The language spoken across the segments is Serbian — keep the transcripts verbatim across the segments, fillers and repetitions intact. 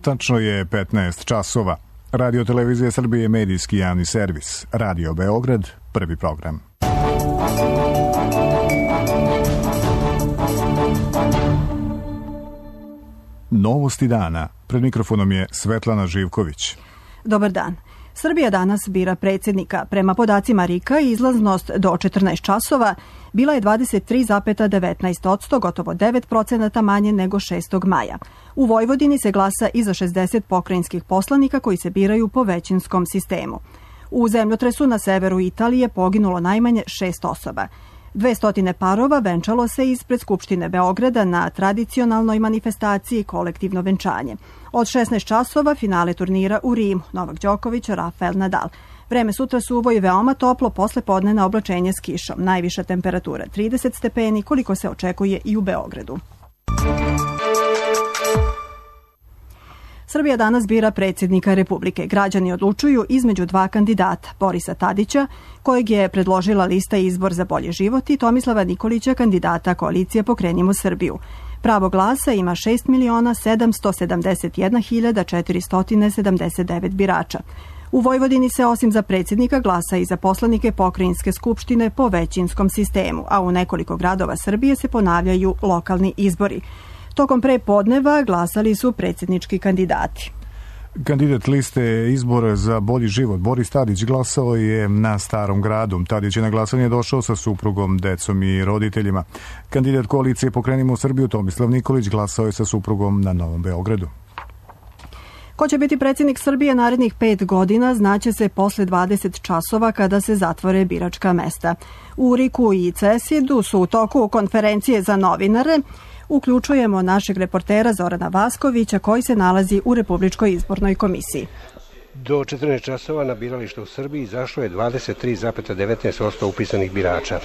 Tačno je petnaest časova. Radio Televizija Srbije je medijski javni servis. Radio Beograd, prvi program. Novosti dana. Pred mikrofonom je Svetlana Živković. Dobar dan. Srbija danas bira predsjednika. Prema podacima R I K-a izlaznost do četrnaest časova bila je dvadeset tri zarez devetnaest posto, gotovo devet procenata manje nego šestog maja. U Vojvodini se glasa i za šezdeset pokrajinskih poslanika koji se biraju po većinskom sistemu. U zemljotresu na severu Italije poginulo najmanje šest osoba. dvesta parova venčalo se ispred Skupštine Beograda na tradicionalnoj manifestaciji kolektivno venčanje. Od šesnaest časova finale turnira u Rimu, Novak Đoković, Rafael Nadal. Vreme sutra suvo i veoma toplo, posle podnevna oblačenje s kišom. Najviša temperatura trideset stepeni, koliko se očekuje i u Beogradu. Srbija danas bira predsjednika Republike. Građani odlučuju između dva kandidata, Borisa Tadića, kojeg je predložila lista Izbor za bolji život, i Tomislava Nikolića, kandidata koalicije Pokrenimo Srbiju. Pravo glasa ima šest miliona sedamsto sedamdeset jedna hiljada četiristo sedamdeset devet birača. U Vojvodini se osim za predsjednika glasa i za poslanike pokrajinske skupštine po većinskom sistemu, a u nekoliko gradova Srbije se ponavljaju lokalni izbori. Tokom pre podneva glasali su predsjednički kandidati. Kandidat liste Izbor za bolji život Boris Tadić glasao je na Starom gradu. Tadić je na glasanje došao sa suprugom, decom i roditeljima. Kandidat koalicije Pokrenimo Srbiju Tomislav Nikolić glasao je sa suprugom na Novom Beogradu. Ko će biti predsjednik Srbije narednih pet godina znaće se posle dvadeset časova kada se zatvore biračka mesta. U R I K-u i C E S I D-u su u toku konferencije za novinare. Uključujemo našeg reportera Zorana Vaskovića koji se nalazi u Republičkoj izbornoj komisiji. Do četrnaest časova na biralište u Srbiji izašlo je dvadeset tri zarez devetnaest posto upisanih birača.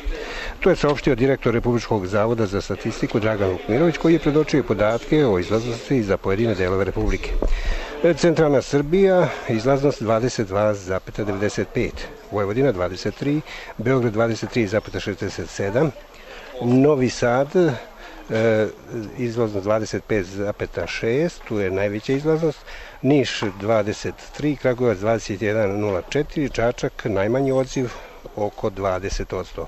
To je saopštio direktor Republičkog zavoda za statistiku Dragan Vukmirović, koji je predočio podatke o izlaznosti za pojedine delove Republike. Centralna Srbija izlaznost dvadeset dva zarez devedeset pet, Vojvodina dvadeset tri, Beograd dvadeset tri zarez šezdeset sedam, Novi Sad E, izlaznost dvadeset pet zarez šest, tu je najveća izlaznost, Niš dvadeset tri, Kragujevac dvadeset jedan zarez nula četiri, Čačak najmanji odziv oko dvadeset posto.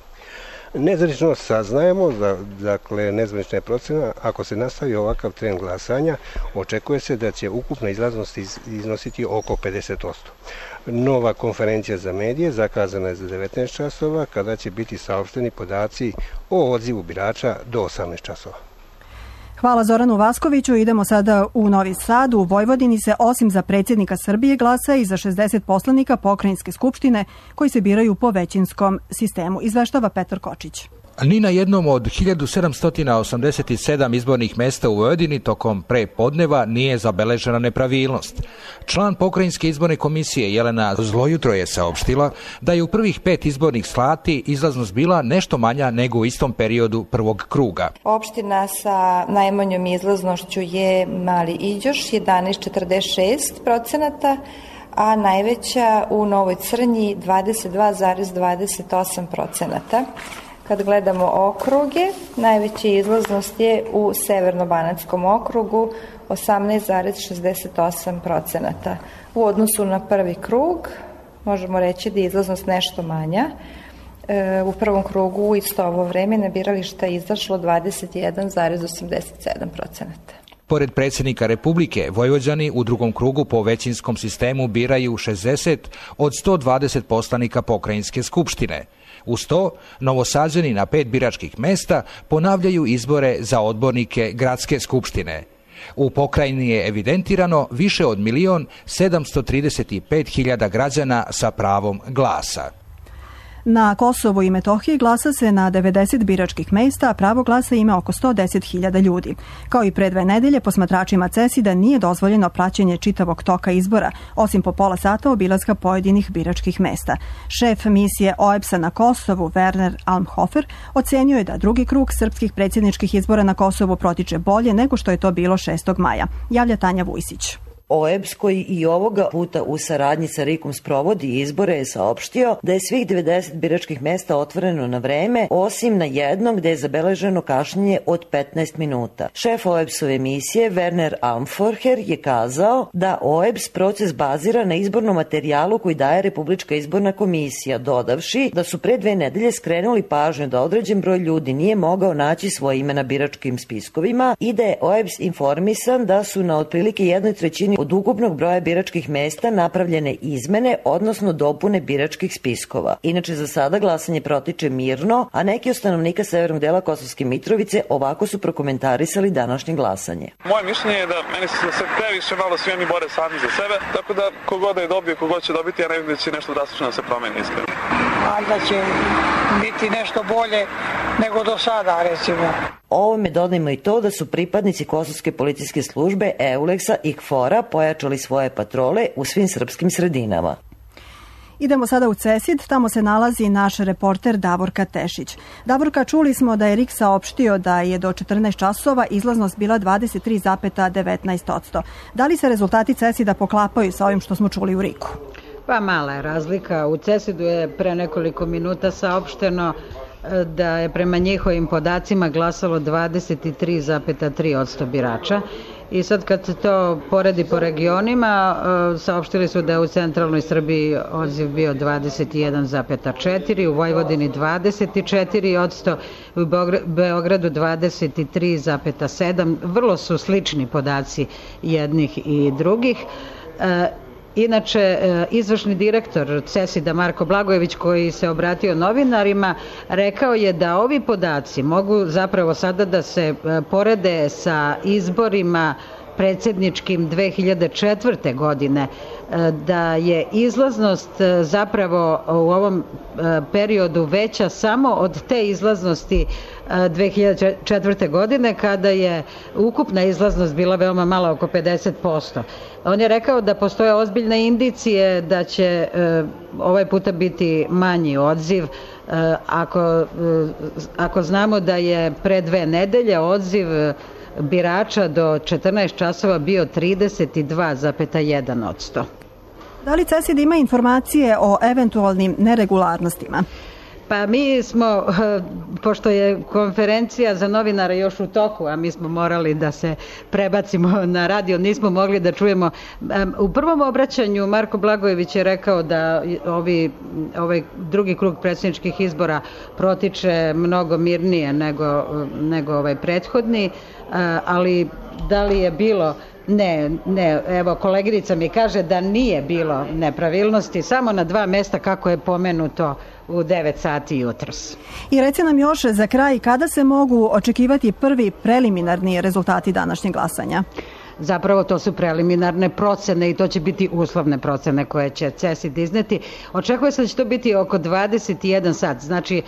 Nezvanično saznajemo, dakle nezvanična je procena, ako se nastavi ovakav trend glasanja, očekuje se da će ukupna izlaznost iznositi oko pedeset posto. Nova konferencija za medije zakazana je za devetnaest časova, kada će biti saopšteni podaci o odzivu birača do osamnaest časova. Hvala Zoranu Vaskoviću. Idemo sada u Novi Sad. U Vojvodini se osim za predsjednika Srbije glasa i za šezdeset poslanika pokrajinske skupštine koji se biraju po većinskom sistemu. Izveštava Petar Kočić. Ni na jednom od hiljadu sedamsto osamdeset sedam izbornih mesta u Vojvodini tokom pre podneva nije zabeležena nepravilnost. Član pokrajinske izborne komisije Jelena Zlojutro je saopštila da je u prvih pet izbornih slati izlaznost bila nešto manja nego u istom periodu prvog kruga. Opština sa najmanjom izlaznošću je Mali Iđoš, jedanaest zarez četrdeset šest procenata, a najveća u Novoj Crnji dvadeset dva zarez dvadeset osam procenata. Kad gledamo okruge, najveća izlaznost je u Severno-Banatskom okrugu, osamnaest zarez šezdeset osam procenata. U odnosu na prvi krug, možemo reći da je izlaznost nešto manja. E, u prvom krugu u isto ovo vreme na birališta je izašlo dvadeset jedan zarez osamdeset sedam procenata. Pored predsjednika Republike, Vojvođani u drugom krugu po većinskom sistemu biraju šezdeset od sto dvadeset poslanika pokrajinske skupštine. Uz to, Novosađani na pet biračkih mesta ponavljaju izbore za odbornike gradske skupštine. U pokrajini je evidentirano više od milion sedamsto trideset pet hiljada građana sa pravom glasa. Na Kosovu i Metohiji glasa se na devedeset biračkih mesta, a pravo glasa ima oko sto deset hiljada ljudi. Kao i pre dve nedelje, posmatračima C E S I D-a nije dozvoljeno praćenje čitavog toka izbora, osim po pola sata obilaska pojedinih biračkih mesta. Šef misije O E B S-a na Kosovu, Werner Almhofer, ocenio je da drugi krug srpskih predsjedničkih izbora na Kosovu protiče bolje nego što je to bilo šestog maja. Javlja Tanja Vujsić. O E B S, koji i ovoga puta u saradnji sa R I K-om sprovodi izbore, je saopštio da je svih devedeset biračkih mesta otvoreno na vreme, osim na jednom gde je zabeleženo kašnjenje od petnaest minuta. Šef O E B S-ove emisije Werner Amforher je kazao da O E B S proces bazira na izbornom materijalu koji daje Republička izborna komisija, dodavši da su pre dve nedelje skrenuli pažnju da određen broj ljudi nije mogao naći svoje ime na biračkim spiskovima i da je O E B S informisan da su na otprilike jednoj trećini od ukupnog broja biračkih mesta napravljene izmene, odnosno dopune biračkih spiskova. Inače, za sada glasanje protiče mirno, a neki od stanovnika severnog dela Kosovske Mitrovice ovako su prokomentarisali današnje glasanje. Moje mišljenje je da meni se sve previše malo svi oni bore sami za sebe, tako da kogod da je dobio, kogod će dobiti, ja ne vidim da će nešto drastično da se promeni iskreno. A da će biti nešto bolje nego do sada, recimo. Ovome dodajmo i to da su pripadnici Kosovske policijske službe EULEX-a i K F O R-a pojačali svoje patrole u svim srpskim sredinama. Idemo sada u Cesid, tamo se nalazi naš reporter Davorka Tešić. Davorka, čuli smo da je R I K saopštio da je do četrnaest časova izlaznost bila dvadeset tri zarez devetnaest posto. Da li se rezultati Cesida poklapaju sa ovim što smo čuli u R I K-u? Pa mala je razlika. U Cesidu je pre nekoliko minuta saopšteno da je prema njihovim podacima glasalo dvadeset tri zarez tri posto birača. I sad kad se to poredi po regionima, saopštili su da je u centralnoj Srbiji odziv bio dvadeset jedan zarez četiri, u Vojvodini dvadeset četiri posto, u Beogradu dvadeset tri zarez sedam. Vrlo su slični podaci jednih i drugih. Inače, izvršni direktor Cesida Marko Blagojević, koji se obratio novinarima, rekao je da ovi podaci mogu zapravo sada da se porede sa izborima predsjedničkim dve hiljade četvrte. godine, da je izlaznost zapravo u ovom periodu veća samo od te izlaznosti dve hiljade četvrte. godine, kada je ukupna izlaznost bila veoma mala, oko pedeset posto. On je rekao da postoje ozbiljne indicije da će ovaj puta biti manji odziv, ako, ako znamo da je pre dve nedelje odziv birača do četrnaest časova bio trideset dva zarez jedan posto. Da li Cesid ima informacije o eventualnim neregularnostima? Pa mi smo, pošto je konferencija za novinare još u toku, a mi smo morali da se prebacimo na radio, nismo mogli da čujemo. U prvom obraćanju Marko Blagojević je rekao da ovi, ovaj drugi krug predsjedničkih izbora protiče mnogo mirnije nego, nego ovaj prethodni, ali da li je bilo... Ne, ne, evo koleginica mi kaže da nije bilo nepravilnosti, samo na dva mesta kako je pomenuto u devet sati jutros. I reci nam još za kraj, kada se mogu očekivati prvi preliminarni rezultati današnjeg glasanja? Zapravo to su preliminarne procene i to će biti uslovne procene koje će Cesid izneti. Očekuje se da će to biti oko dvadeset jedan sat, znači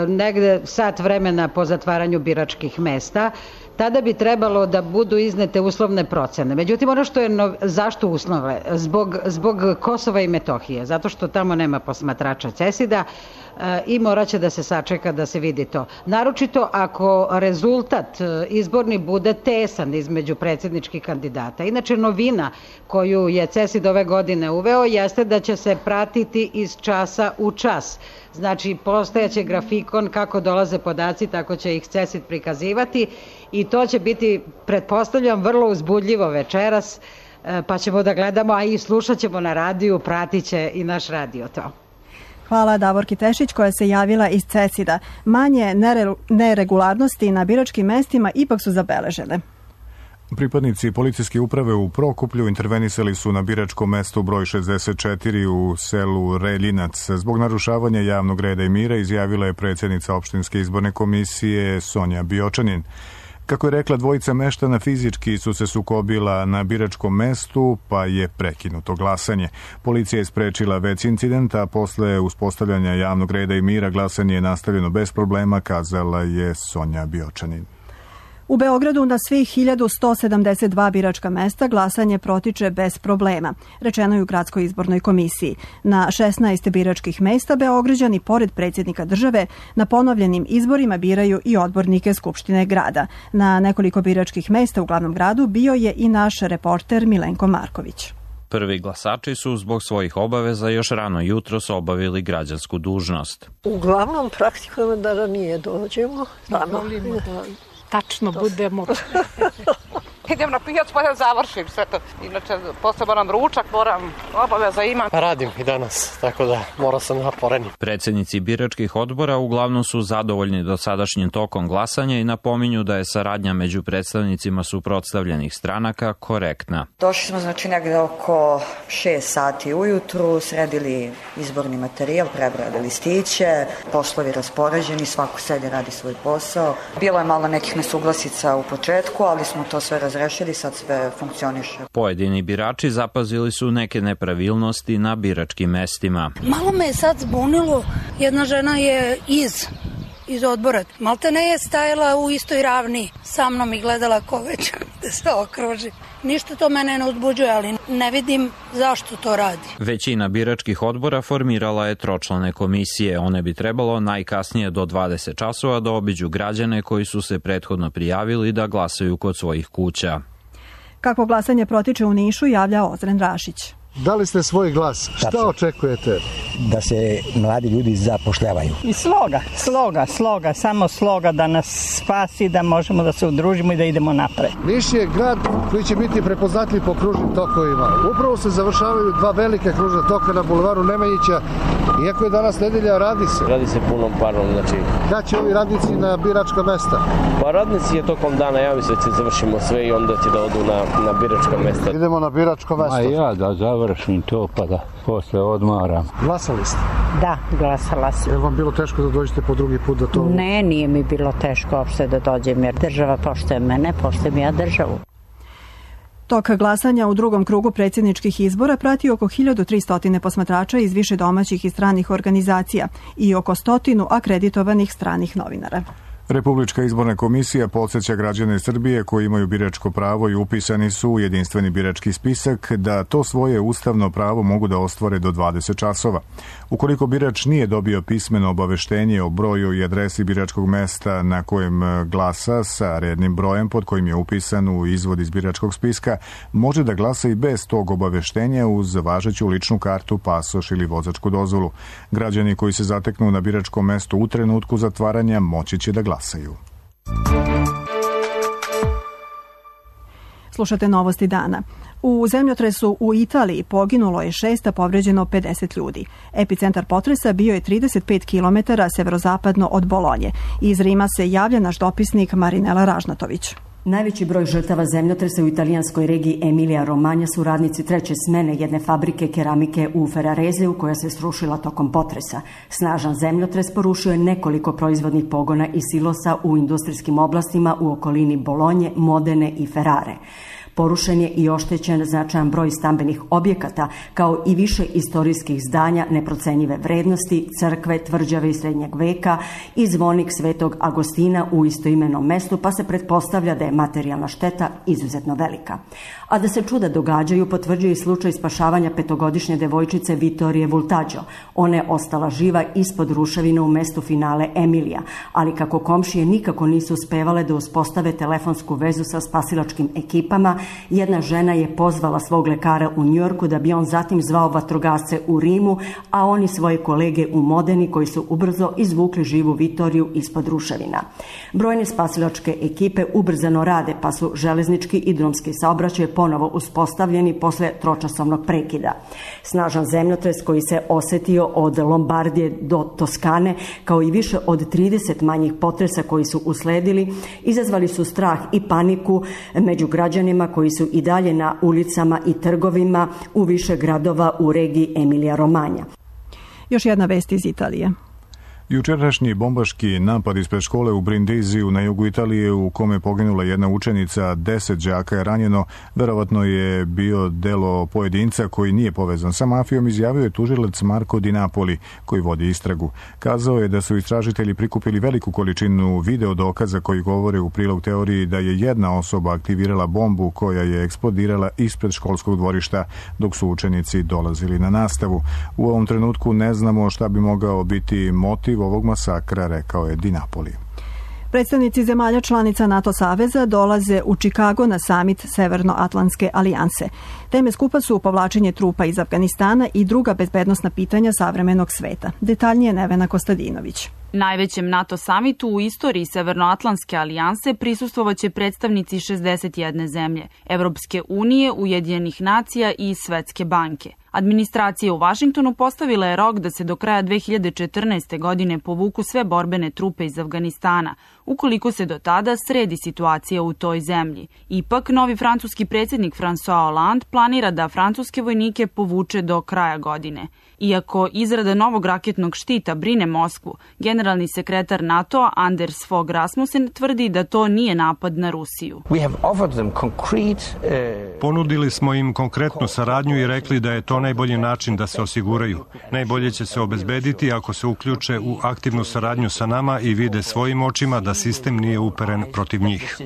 negde sat vremena po zatvaranju biračkih mesta. Tada bi trebalo da budu iznete uslovne procene. Međutim, ono što je, no, zašto uslove? Zbog, zbog Kosova i Metohije, zato što tamo nema posmatrača Cesida e, i morat će da se sačeka da se vidi to. Naročito ako rezultat izborni bude tesan između predsjedničkih kandidata. Inače, novina koju je Cesid ove godine uveo jeste da će se pratiti iz časa u čas. Znači, postojaće grafikon kako dolaze podaci, tako će ih Cesid prikazivati i to će biti, pretpostavljam, vrlo uzbudljivo večeras, pa ćemo da gledamo, a i slušat ćemo na radiju, pratit će i naš radio to. Hvala Davorki Tešić koja se javila iz Cesida. Manje neregularnosti na biračkim mestima ipak su zabeležene. Pripadnici policijske uprave u Prokuplju intervenisali su na biračkom mestu broj šezdeset četiri u selu Reljinac. Zbog narušavanja javnog reda i mira, izjavila je predsjednica opštinske izborne komisije Sonja Biočanin. Kako je rekla, dvojica meštana fizički su se sukobila na biračkom mestu, pa je prekinuto glasanje. Policija je sprečila već incident, a posle uspostavljanja javnog reda i mira glasanje je nastavljeno bez problema, kazala je Sonja Biočanin. U Beogradu na svih hiljadu sto sedamdeset dva biračka mesta glasanje protiče bez problema, rečeno je u Gradskoj izbornoj komisiji. Na šesnaest biračkih mesta Beograđani, pored predsjednika države, na ponovljenim izborima biraju i odbornike Skupštine grada. Na nekoliko biračkih mesta u glavnom gradu bio je i naš reporter Milenko Marković. Prvi glasači su zbog svojih obaveza još rano jutros obavili građansku dužnost. Uglavnom praktikujemo da ranije dođemo. Volimo da tačno budemo. Idem na pijac pa da završim sve to. Inače, posle moram ručak, moram obaveza imam. Radim i danas, tako da moram sam naporeni. Predsjednici biračkih odbora uglavnom su zadovoljni dosadašnjim tokom glasanja i napominju da je saradnja među predstavnicima suprotstavljenih stranaka korektna. Došli smo znači negde oko šest sati ujutru, sredili izborni materijal, prebrali listiće, poslovi raspoređeni, svako sedi radi svoj posao. Bilo je malo nekih nesuglasica u početku, ali smo to sve razrešili. Rešili, sad sve funkcioniše. Pojedini birači zapazili su neke nepravilnosti na biračkim mestima. Malo me je sad zbunilo, jedna žena je iz, iz odbora. Malte ne je stajala u istoj ravni sa mnom i gledala ko već da se okruži. Ništa to mene ne uzbuđuje, ali ne vidim zašto to radi. Većina biračkih odbora formirala je tročlane komisije. One bi trebalo najkasnije do dvadeset časova da obiđu građane koji su se prethodno prijavili da glasaju kod svojih kuća. Kako glasanje protiče u Nišu, javlja Ozren Rašić. Dali ste svoj glas. Šta Tačno. očekujete? Da se mladi ljudi zapošljavaju. I sloga, sloga, sloga, samo sloga da nas spasi, da možemo da se udružimo i da idemo napred. Niš je grad koji će biti prepoznatljiv po kružnim tokovima. Upravo se završavaju dva velike kružna toka na bulevaru Nemanjića. Iako je danas nedelja, radi se. Radi se punom parom, znači... Kad će ovi radnici na biračka mesta? Pa radnici je tokom dana, ja mislim da će završimo sve i onda će da odu na, na biračka mesta. Idemo na biračko mesto. A ja da završim to pa da posle odmaram. Glasali ste? Da, glasala sam. Je li vam bilo teško da dođete po drugi put da to... Ne, nije mi bilo teško uopšte da dođem jer država poštuje mene, poštujem ja državu. Tok glasanja u drugom krugu predsjedničkih izbora prati oko hiljadu tristo posmatrača iz više domaćih i stranih organizacija i oko stotinu akreditovanih stranih novinara. Republička izborna komisija podsjeća građane Srbije koji imaju biračko pravo i upisani su u jedinstveni birački spisak da to svoje ustavno pravo mogu da ostvare do dvadeset časova. Ukoliko birač nije dobio pismeno obaveštenje o broju i adresi biračkog mesta na kojem glasa sa rednim brojem pod kojim je upisan u izvod iz biračkog spiska, može da glasa i bez tog obaveštenja uz važeću ličnu kartu, pasoš ili vozačku dozvolu. Građani koji se zateknu na biračkom mestu u trenutku zatvaranja moći će da glasaju. Slušate novosti dana. U zemljotresu u Italiji poginulo je šest, a povređeno pedeset ljudi. Epicentar potresa bio je trideset pet kilometara severozapadno od Bolonje. Iz Rima se javlja naš dopisnik Marinela Ražnatović. Najveći broj žrtava zemljotresa u italijanskoj regiji Emilija Romanja su radnici treće smene jedne fabrike keramike u Ferrarezeu koja se srušila tokom potresa. Snažan zemljotres porušio je nekoliko proizvodnih pogona i silosa u industrijskim oblastima u okolini Bolonje, Modene i Ferrare. Porušen je i oštećen značajan broj stambenih objekata, kao i više istorijskih zdanja neprocenjive vrednosti, crkve, tvrđave iz srednjeg veka i zvonik Svetog Agostina u istoimenom mestu, pa se pretpostavlja da je materijalna šteta izuzetno velika. A da se čuda događaju, potvrđuje i slučaj spašavanja petogodišnje devojčice Vittorije Vultaggio. Ona je ostala živa ispod ruševina u mestu finale Emilija, ali kako komšije nikako nisu uspevale da uspostave telefonsku vezu sa spasilačkim ekipama, jedna žena je pozvala svog lekara u Njujorku da bi on zatim zvao vatrogasce u Rimu, a oni svoje kolege u Modeni koji su ubrzo izvukli živu Vittoriju ispod ruševina. Brojne spasilačke ekipe ubrzano rade, pa su železnički i drumski saobraćaj ponovo uspostavljeni posle tročasovnog prekida. Snažan zemljotres koji se osetio od Lombardije do Toskane, kao i više od trideset manjih potresa koji su usledili, izazvali su strah i paniku među građanima koji su i dalje na ulicama i trgovima u više gradova u regiji Emilija Romanja. Još jedna vest iz Italije. Jučerašnji bombaški napad ispred škole u Brindiziju na jugu Italije u kome je poginula jedna učenica, deset đaka je ranjeno, verovatno je bio delo pojedinca koji nije povezan sa mafijom, izjavio je tužilac Marko Di Napoli koji vodi istragu. Kazao je da su istražitelji prikupili veliku količinu video dokaza koji govore u prilog teoriji da je jedna osoba aktivirala bombu koja je eksplodirala ispred školskog dvorišta dok su učenici dolazili na nastavu. U ovom trenutku ne znamo šta bi mogao biti motiv ovog masakra, rekao je Di Napoli. Predstavnici zemalja članica NATO saveza dolaze u Čikago na samit Severnoatlantske alijanse. Teme skupa su povlačenje trupa iz Afganistana i druga bezbednosna pitanja savremenog sveta. Detaljnije Nevena Kostadinović. Najvećem NATO samitu u istoriji Severnoatlantske alijanse prisustvovaće predstavnici šezdeset jedne zemlje, Evropske unije, Ujedinjenih nacija i Svetske banke. Administracija u Vašingtonu postavila je rok da se do kraja dve hiljade četrnaeste. godine povuku sve borbene trupe iz Afganistana, ukoliko se do tada sredi situacija u toj zemlji. Ipak, novi francuski predsjednik François Hollande planira da francuske vojnike povuče do kraja godine. Iako izrada novog raketnog štita brine Moskvu, generalni sekretar NATO Anders Fogh Rasmussen tvrdi da to nije napad na Rusiju. Ponudili smo im konkretnu saradnju i rekli da je to najbolji način da se osiguraju. Najbolje će se obezbediti ako se uključe u aktivnu saradnju sa nama i vide svojim očima da sistem nije uperen protiv njih.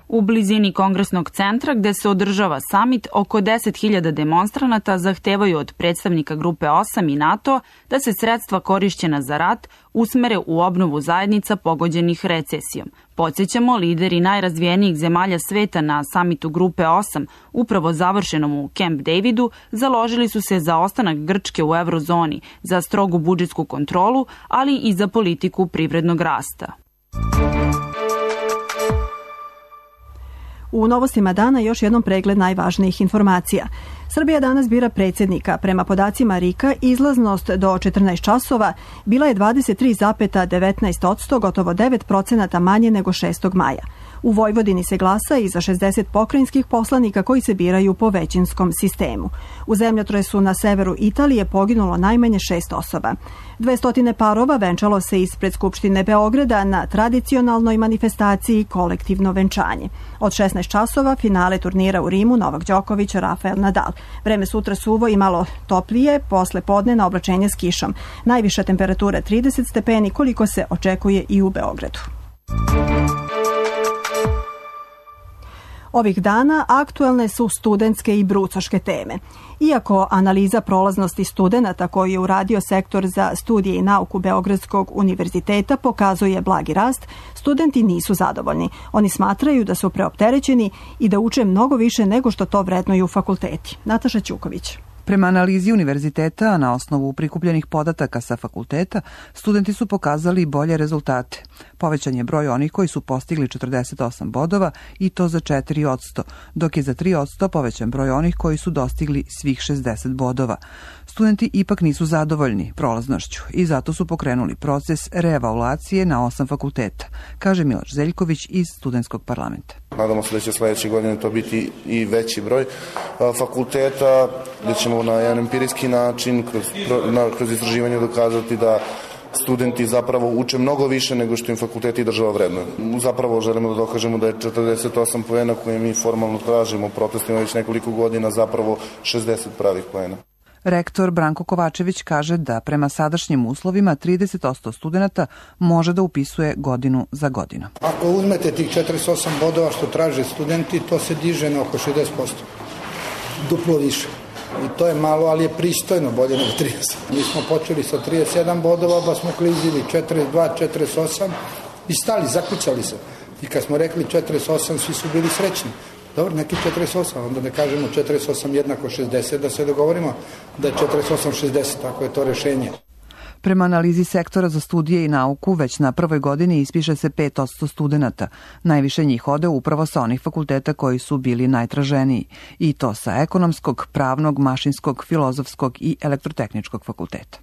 U blizini Kongresnog centra gde se održava samit, oko deset hiljada demonstranata zahtevaju od predstavnika grupe osam i NATO da se sredstva korišćena za rat usmere u obnovu zajednica pogođenih recesijom. Podsjećamo, lideri najrazvijenijih zemalja sveta na samitu grupe osam, upravo završenom u Camp Davidu, založili su se za ostanak Grčke u eurozoni, za strogu budžetsku kontrolu, ali i za politiku privrednog rasta. U novostima dana još jednom pregled najvažnijih informacija. Srbija danas bira predsjednika. Prema podacima R I K-a, izlaznost do četrnaest časova bila je dvadeset tri zarez devetnaest posto, gotovo devet procenata manje nego šestog maja. U Vojvodini se glasa i za šezdeset pokrajinskih poslanika koji se biraju po većinskom sistemu. U zemljotresu na severu Italije poginulo najmanje šest osoba. Dvestotine parova venčalo se ispred Skupštine Beograda na tradicionalnoj manifestaciji Kolektivno venčanje. Od šesnaest časova finale turnira u Rimu Novak Đoković, Rafael Nadal. Vreme sutra suvo i malo toplije, posle podne na oblačenje s kišom. Najviša temperatura trideset stepeni, koliko se očekuje i u Beogradu. Ovih dana aktuelne su studentske i brucoške teme. Iako analiza prolaznosti studenata koju je uradio sektor za studije i nauku Beogradskog univerziteta pokazuje blagi rast, studenti nisu zadovoljni. Oni smatraju da su preopterećeni i da uče mnogo više nego što to vrednuju fakulteti. Nataša Ćuković. Prema analizi univerziteta, na osnovu prikupljenih podataka sa fakulteta, studenti su pokazali bolje rezultate. Povećan je broj onih koji su postigli četrdeset osam bodova i to za četiri posto, dok je za tri posto povećan broj onih koji su dostigli svih šezdeset bodova. Studenti ipak nisu zadovoljni prolaznošću i zato su pokrenuli proces reevaluacije na osam fakulteta, kaže Miloš Zeljković iz Studentskog parlamenta. Nadamo se da će sledeće godine to biti i veći broj fakulteta, gde ćemo na jedan empirijski način, kroz, kroz istraživanje dokazati da studenti zapravo uče mnogo više nego što im fakulteti i država vrednuju. Zapravo želimo da dokažemo da je četrdeset osam poena koje mi formalno tražimo u protestima već nekoliko godina zapravo šezdeset pravih poena. Rektor Branko Kovačević kaže da prema sadašnjim uslovima trideset posto studenta može da upisuje godinu za godinu. Ako uzmete tih četrdeset osam bodova što traže studenti, to se diže na oko šezdeset posto. Duplo više. I to je malo, ali je pristojno, bolje nego trideset. Mi smo počeli sa trideset sedam bodova, pa smo klizili četrdeset dva, četrdeset osam i stali, zakucali se. I kad smo rekli četrdeset osam, svi su bili srećni. Dobro, neki četrdeset osam, onda ne kažemo četrdeset osam jednako šezdeset, da se dogovorimo da je četrdeset osam šezdeset, ako je to rešenje. Prema analizi sektora za studije i nauku, već na prvoj godini ispiše se pet posto studenta. Najviše njih ode upravo sa onih fakulteta koji su bili najtraženiji. I to sa ekonomskog, pravnog, mašinskog, filozofskog i elektrotehničkog fakulteta.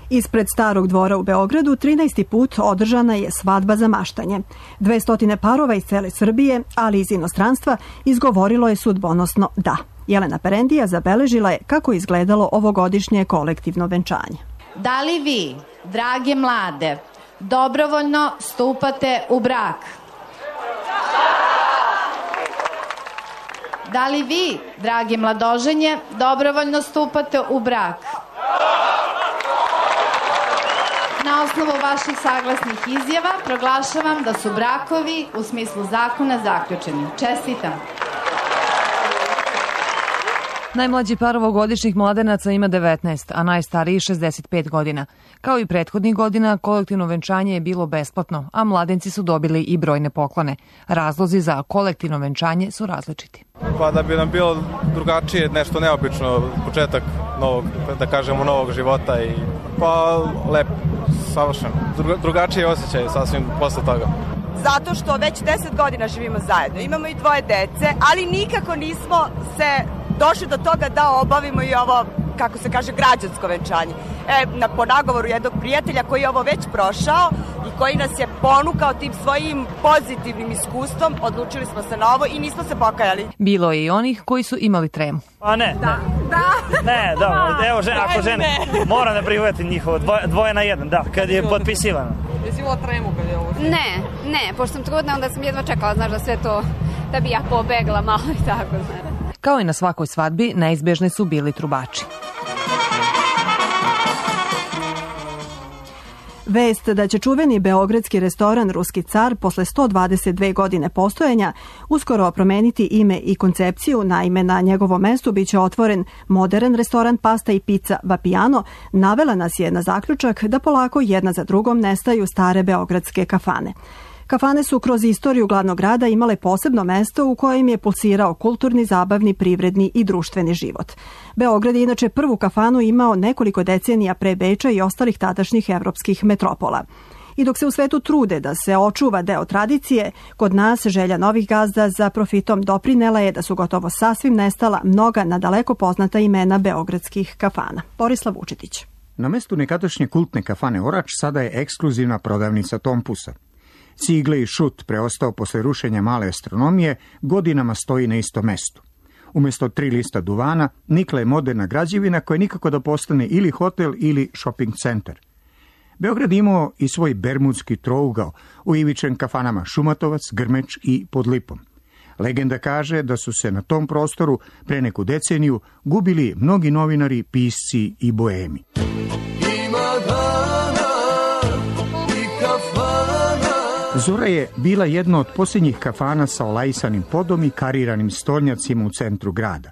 Ispred Starog dvora u Beogradu trinaesti put održana je svadba za maštanje. Dvestotine parova iz cele Srbije, ali iz inostranstva, izgovorilo je sudbonosno da. Jelena Perendija zabeležila je kako je izgledalo ovogodišnje kolektivno venčanje. Da li vi, drage mlade, dobrovoljno stupate u brak? Da li vi, dragi mladoženje, dobrovoljno stupate u brak? Na osnovu vaših saglasnih izjava proglašavam da su brakovi u smislu zakona zaključeni. Čestitam. Najmlađi par ovogodišnjih mladenaca ima devetnaest, a najstariji šezdeset pet godina. Kao i prethodnih godina, kolektivno venčanje je bilo besplatno, a mladenci su dobili i brojne poklone. Razlozi za kolektivno venčanje su različiti. Pa da bi nam bilo drugačije, nešto neobično, početak novog, da kažemo, novog života i pa lepo, savršeno. Drugačije osjećaj sasvim posle toga. Zato što već deset godina živimo zajedno, imamo i dvoje dece, ali nikako nismo se došli do toga da obavimo i ovo, kako se kaže, građansko venčanje. E, na, po nagovoru jednog prijatelja koji je ovo već prošao i koji nas je ponukao tim svojim pozitivnim iskustvom, odlučili smo se na ovo i nismo se pokajali. Bilo je i onih koji su imali tremu. A ne, da. ne. Da. Ne, da, evo, žene, ako žene, moram da prihvatim njihovo, dvoje, dvoje na jedan, da, kad je potpisivano. Jesi imala tremu kad je ovo? Ne, ne, pošto sam trudna, onda sam jedva čekala, znaš, da sve to, da bi ja pobegla malo i tako, znaš. Kao i na svakoj svadbi, neizbežni su bili trubači. Vest da će čuveni beogradski restoran Ruski car posle sto dvadeset dve godine postojanja uskoro promeniti ime i koncepciju, naime na njegovom mestu biće otvoren modern restoran pasta i pizza Vapiano, navela nas je na zaključak da polako jedna za drugom nestaju stare beogradske kafane. Kafane su kroz istoriju glavnog grada imale posebno mesto u kojem je pulsirao kulturni, zabavni, privredni i društveni život. Beograd je inače prvu kafanu imao nekoliko decenija pre Beča i ostalih tadašnjih evropskih metropola. I dok se u svetu trude da se očuva deo tradicije, kod nas želja novih gazda za profitom doprinela je da su gotovo sasvim nestala mnoga nadaleko poznata imena beogradskih kafana. Borislav Vučetić. Na mestu nekadašnje kultne kafane Orač sada je ekskluzivna prodavnica Tompusa. Cigle i šut, preostao posle rušenja male astronomije, godinama stoji na istom mestu. Umesto tri lista duvana, nikla je moderna građevina koja nikako da postane ili hotel ili shopping centar. Beograd imao i svoj bermudski trougao, uivičen kafanama Šumatovac, Grmeč i Pod Lipom. Legenda kaže da su se na tom prostoru pre neku deceniju gubili mnogi novinari, pisci i boemi. Zora je bila jedna od posljednjih kafana sa olajsanim podom i kariranim stolnjacima u centru grada.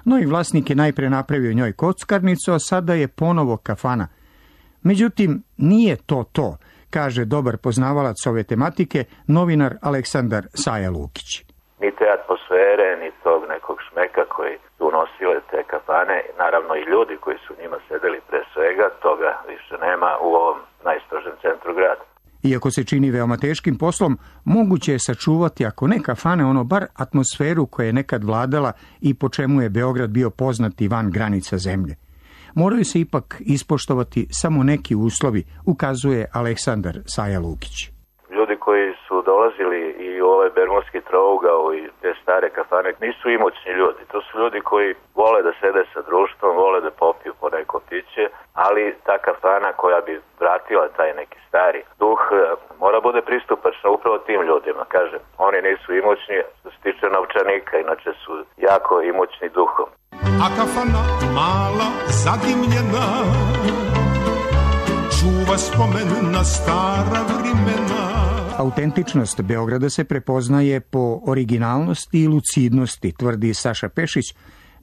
Novi vlasnik je najpre napravio njoj kockarnicu, a sada je ponovo kafana. Međutim, nije to to, kaže dobar poznavalac ove tematike, novinar Aleksandar Saja Lukić. Ni te atmosfere, ni tog nekog šmeka koji su nosile te kafane, naravno i ljudi koji su njima sedeli pre svega, toga više nema u ovom najstrožem centru grada. Iako se čini veoma teškim poslom, moguće je sačuvati, ako ne kafane, ono bar atmosferu koja je nekad vladala i po čemu je Beograd bio poznat i van granica zemlje. Moraju se ipak ispoštovati samo neki uslovi, ukazuje Aleksandar Saja Lukić. Ljudi koji su dolazili i u ovaj bermudski trougao i te stare kafane nisu imućni ljudi. To su ljudi koji vole da sede sa društvom, vole da popiju po neko piće, ali ta kafana koja bi vratila taj neki stari duh mora bude pristupačna upravo tim ljudima. Kažem, oni nisu imućni što se tiče novčanika, inače su jako imućni duhom. A kafana mala, zadimljena, čuva spomen na stara vremena. Autentičnost Beograda se prepoznaje po originalnosti i lucidnosti, tvrdi Saša Pešić,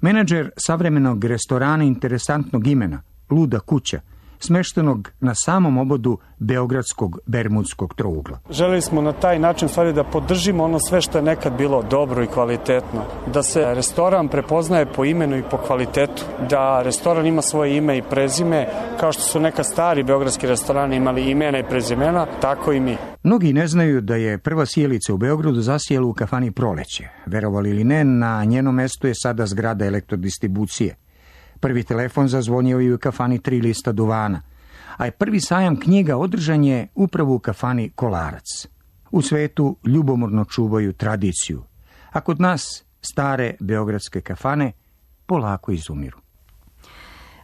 menadžer savremenog restorana interesantnog imena, Luda kuća, smeštenog na samom obodu beogradskog bermudskog trougla. Želeli smo na taj način stvari da podržimo ono sve što je nekad bilo dobro i kvalitetno. Da se restoran prepoznaje po imenu i po kvalitetu. Da restoran ima svoje ime i prezime, kao što su neka stari beogradski restorani imali imena i prezimena, tako i mi. Mnogi ne znaju da je prva sjelica u Beogradu zasijela u kafani Proleće. Verovali ili ne, na njenom mestu je sada zgrada elektrodistribucije. Prvi telefon zazvonio je u kafani Tri lista duvana, a je prvi sajam knjiga održan je upravo u kafani Kolarac. U svetu ljubomorno čuvaju tradiciju, a kod nas stare beogradske kafane polako izumiru.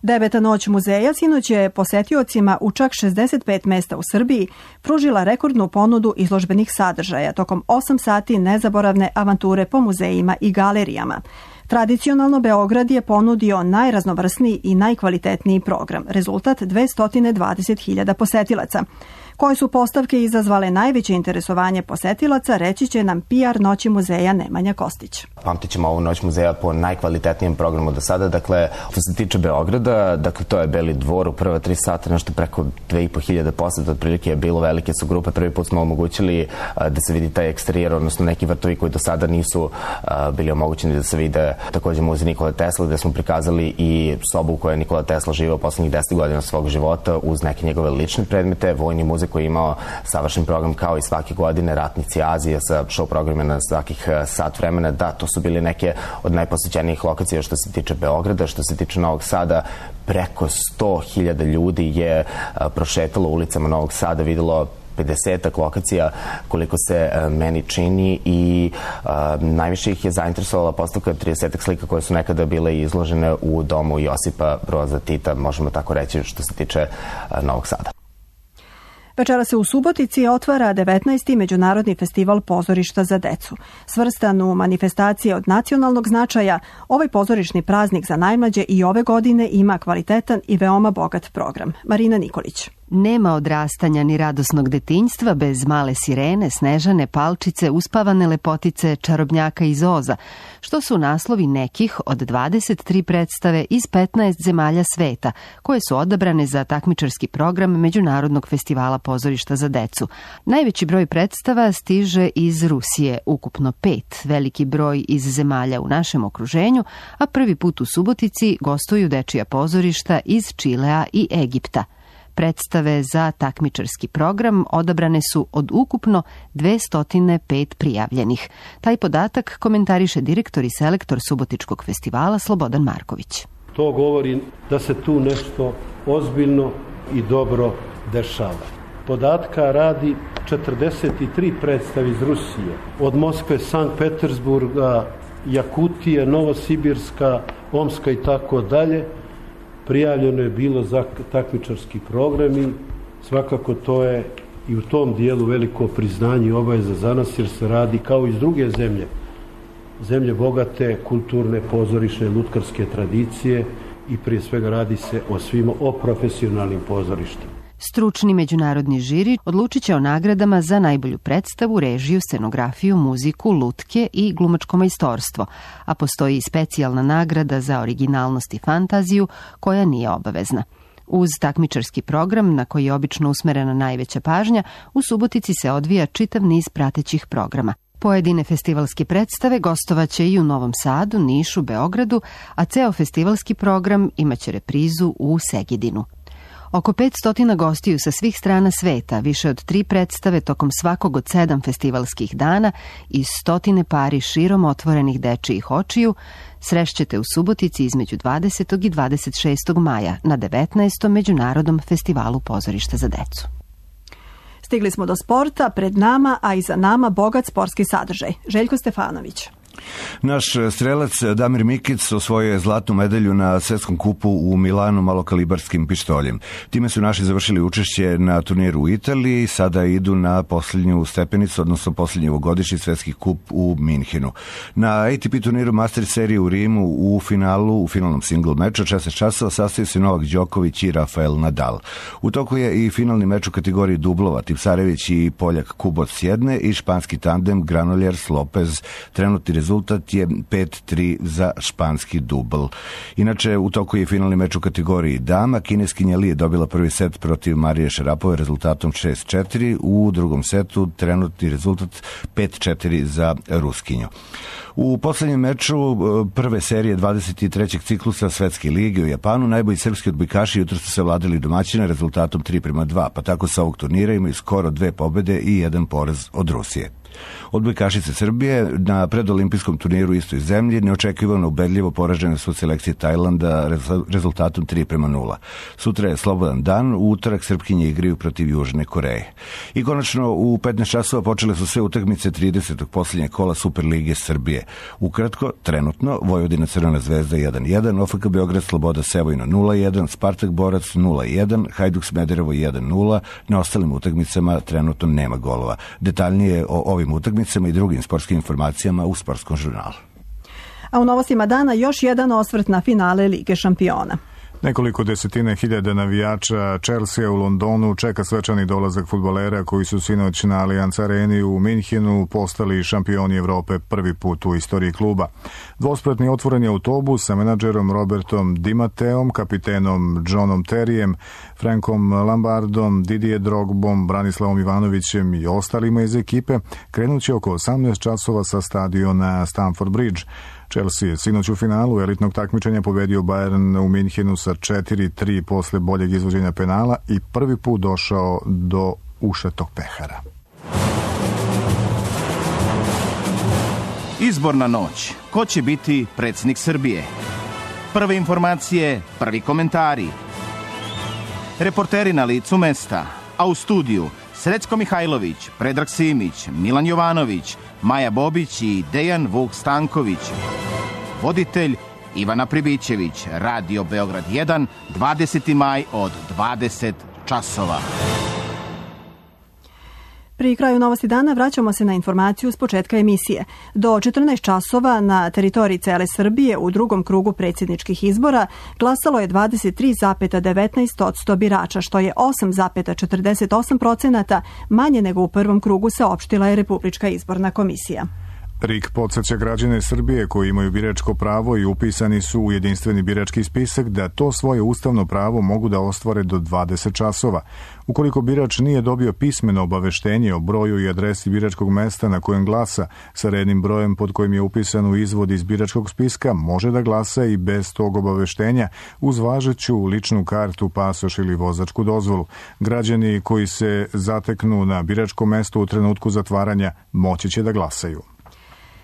Deveta noć muzeja sinoć je posetiocima u čak šezdeset pet mesta u Srbiji pružila rekordnu ponudu izložbenih sadržaja tokom osam sati nezaboravne avanture po muzejima i galerijama. Tradicionalno Beograd je ponudio najraznovrsniji i najkvalitetniji program, rezultat dvesta dvadeset hiljada posetilaca. Koje su postavke izazvale najveće interesovanje posetilaca, reći će nam P R Noći muzeja Nemanja Kostić. Pamtit ćemo ovu Noć muzeja po najkvalitetnijem programu do sada. Dakle, što se tiče Beograda, dakle, to je Beli dvor u prva tri sata, nešto preko dve i po hiljade poseta, otprilike je bilo, velike su grupe. Prvi put smo omogućili da se vidi taj eksterijer, odnosno neki vrtovi koji do sada nisu bili omogućeni da se vide. Takođe muzej Nikole Tesla, gde smo prikazali i sobu u kojoj je Nikola Tesla živeo poslednjih deset godina svog života uz neke njegove lične predmete, vojni muzej koji je imao savršen program kao i svake godine, Ratnici Azije sa show programima na svakih sat vremena. Da, to su bili neke od najposećenijih lokacija što se tiče Beograda. Što se tiče Novog Sada, preko sto hiljada ljudi je prošetalo ulicama Novog Sada, videlo pedesetak lokacija koliko se meni čini i a, najviše ih je zainteresovala postavka tridesetak slika koje su nekada bile izložene u domu Josipa Broza Tita, možemo tako reći što se tiče a, Novog Sada. Večera se u Subotici otvara devetnaesti Međunarodni festival pozorišta za decu. Svrstan u manifestacije od nacionalnog značaja, ovaj pozorišni praznik za najmlađe i ove godine ima kvalitetan i veoma bogat program. Marina Nikolić. Nema odrastanja ni radosnog detinjstva bez Male sirene, Snežane, Palčice, Uspavane lepotice, Čarobnjaka iz Oza, što su naslovi nekih od dvadeset tri predstave iz petnaest zemalja sveta, koje su odabrane za takmičarski program Međunarodnog festivala pozorišta za decu. Najveći broj predstava stiže iz Rusije, ukupno pet, veliki broj iz zemalja u našem okruženju, a prvi put u Subotici gostuju dečija pozorišta iz Čilea i Egipta. Predstave za takmičarski program odabrane su od ukupno dvesta pet prijavljenih. Taj podatak komentariše direktor i selektor Subotičkog festivala Slobodan Marković. To govori da se tu nešto ozbiljno i dobro dešava. Podatka radi četrdeset tri predstave iz Rusije, od Moskve, Sankt Petersburga, Jakutije, Novosibirska, Omska i tako dalje. Prijavljeno je bilo za takmičarski program i svakako to je i u tom dijelu veliko priznanje i obaveza za nas, jer se radi kao iz druge zemlje. Zemlje bogate, kulturne, pozorišne, lutkarske tradicije i prije svega radi se o svima, o profesionalnim pozorištima. Stručni međunarodni žiri odlučit će o nagradama za najbolju predstavu, režiju, scenografiju, muziku, lutke i glumačko majstorstvo, a postoji i specijalna nagrada za originalnost i fantaziju koja nije obavezna. Uz takmičarski program, na koji je obično usmerena najveća pažnja, u Subotici se odvija čitav niz pratećih programa. Pojedine festivalske predstave gostovaće i u Novom Sadu, Nišu, Beogradu, a ceo festivalski program imaće reprizu u Segedinu. Oko petsto gostiju sa svih strana sveta, više od tri predstave tokom svakog od sedam festivalskih dana i stotine pari širom otvorenih dečijih očiju srešćete u Subotici između dvadesetog i dvadeset šestog maja na devetnaestom Međunarodnom festivalu pozorišta za decu. Stigli smo do sporta, pred nama, a i za nama bogat sportski sadržaj. Željko Stefanović. Naš strelac Damir Mikic osvojio je zlatnu medalju na svetskom kupu u Milanu malokalibarskim pištoljem. Time su naši završili učešće na turniru u Italiji i sada idu na posljednju stepenicu, odnosno posljednji ovogodišnji svetski kup u Minhenu. Na A T P turniru Master serije u Rimu u finalu, u finalnom single meču od šesnaest časova sastaju se Novak Đoković i Rafael Nadal. U toku je i finalni meč u kategoriji dublova, Tipsarević i Poljak Kuboc s jedne i španski tandem Granollers Lopez. Trenutni rezultat je pet tri za španski dubl. Inače, u toku je finalni meč u kategoriji dama. Kineskinja Li je dobila prvi set protiv Marije Šarapove rezultatom šest četiri. U drugom setu trenutni rezultat pet četiri za Ruskinju. U poslednjem meču prve serije dvadeset trećeg ciklusa Svetske lige u Japanu najbolji srpski odbojkaši jutro su se vladali domaćina rezultatom tri prema dva, pa tako sa ovog turnira imaju skoro dve pobede i jedan poraz od Rusije. Odbojkašice Srbije na predolimpijskom turniru u istoj zemlji neočekivano ubedljivo poražene su selekcije Tajlanda rezultatom tri prema nula. Sutra je slobodan dan, u utorak Srpkinje igraju protiv Južne Koreje. I konačno u petnaest časova počele su sve utakmice tridesetog posljednjeg kola Superlige Srbije. Ukratko, trenutno, Vojvodina Crvena zvezda jedan jedan, O F K Beograd Sloboda Sevojno nula jedan, Spartak Borac nula jedan, Hajduk Smederevo jedan nula, na ostalim utakmicama trenutno nema golova. Detaljnije o ovim utakmicama i drugim sportskim informacijama u Sportskom žurnalu. A u novostima dana još jedan osvrt na finale Lige šampiona. Nekoliko desetine hiljada navijača Chelsea u Londonu čeka svečani dolazak fudbalera koji su sinoć na Allianz Areni u Minhenu postali šampioni Evrope prvi put u istoriji kluba. Dvospratni otvoreni autobus sa menadžerom Robertom Di Matteom, kapitenom Johnom Terryjem, Frankom Lambardom, Didier Drogbom, Branislavom Ivanovićem i ostalima iz ekipe krenuće oko osamnaest časova sa stadiona Stamford Bridge. Chelsea je sinoć u finalu elitnog takmičenja pobedio Bayern u Minhenu sa četiri tri posle boljeg izvođenja penala i prvi put došao do ušetog pehara. Izborna noć. Ko će biti predsjednik Srbije? Prve informacije, prvi komentari. Reporteri na licu mesta, a u studiju Srećko Mihajlović, Predrag Simić, Milan Jovanović, Maja Bobić i Dejan Vuk Stanković. Voditelj Ivana Pribićević, Radio Beograd jedan, dvadeseti maj od dvadeset časova. Pri kraju novosti dana vraćamo se na informaciju s početka emisije. Do četrnaest časova na teritoriji cele Srbije u drugom krugu predsjedničkih izbora glasalo je dvadeset tri zarez devetnaest posto birača, što je osam zarez četrdeset osam procenata manje nego u prvom krugu, saopštila je Republička izborna komisija. R I K podsjeća građane Srbije koji imaju biračko pravo i upisani su u jedinstveni birački spisak da to svoje ustavno pravo mogu da ostvare do dvadeset časova. Ukoliko birač nije dobio pismeno obaveštenje o broju i adresi biračkog mesta na kojem glasa sa rednim brojem pod kojim je upisan u izvod iz biračkog spiska, može da glasa i bez tog obaveštenja uz važeću ličnu kartu, pasoš ili vozačku dozvolu. Građani koji se zateknu na biračkom mestu u trenutku zatvaranja moći će da glasaju.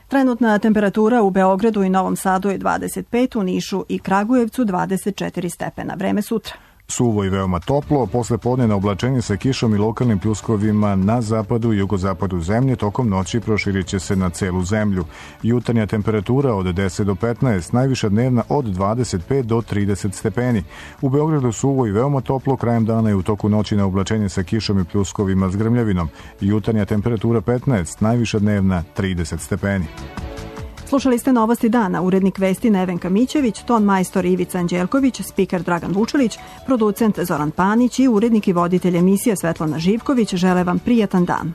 Trenutna temperatura u Beogradu i Novom Sadu je dvadeset pet, u Nišu i Kragujevcu dvadeset četiri stepena. Vreme sutra. Suvo i veoma toplo, posle podnevna oblačenje sa kišom i lokalnim pljuskovima na zapadu i jugozapadu zemlje, tokom noći proširit će se na celu zemlju. Jutarnja temperatura od deset do petnaest, najviša dnevna od dvadeset pet do trideset stepeni. U Beogradu suvo i veoma toplo, krajem dana i u toku noći na oblačenje sa kišom i pljuskovima s grmljavinom. Jutarnja temperatura petnaest, najviša dnevna trideset stepeni. Slušali ste novosti dana, urednik vesti Nevenka Mićević, ton majstor Ivica Anđelković, spiker Dragan Vučelić, producent Zoran Panić i urednik i voditelj emisije Svetlana Živković žele vam prijatan dan.